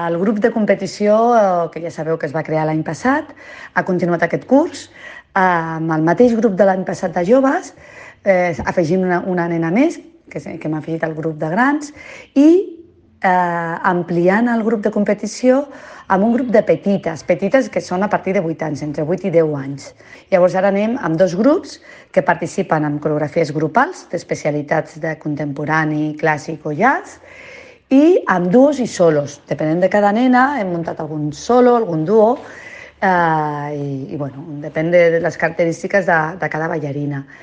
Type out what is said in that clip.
El grup de competició, que ja sabeu que es va crear l'any passat, ha continuat aquest curs amb el mateix grup de l'any passat de joves, afegint una nena més, que m'ha afegit al grup de grans, i ampliant el grup de competició amb un grup de petites que són a partir de 8 anys, entre 8 i 10 anys. Llavors ara anem amb 2 grups que participen en coreografies grupals d'especialitats de contemporani, clàssic o jazz, i amb duos i solos. Depenent de cada nena, hem muntat algun solo, algun duo, i bueno, depèn de les característiques de cada ballarina.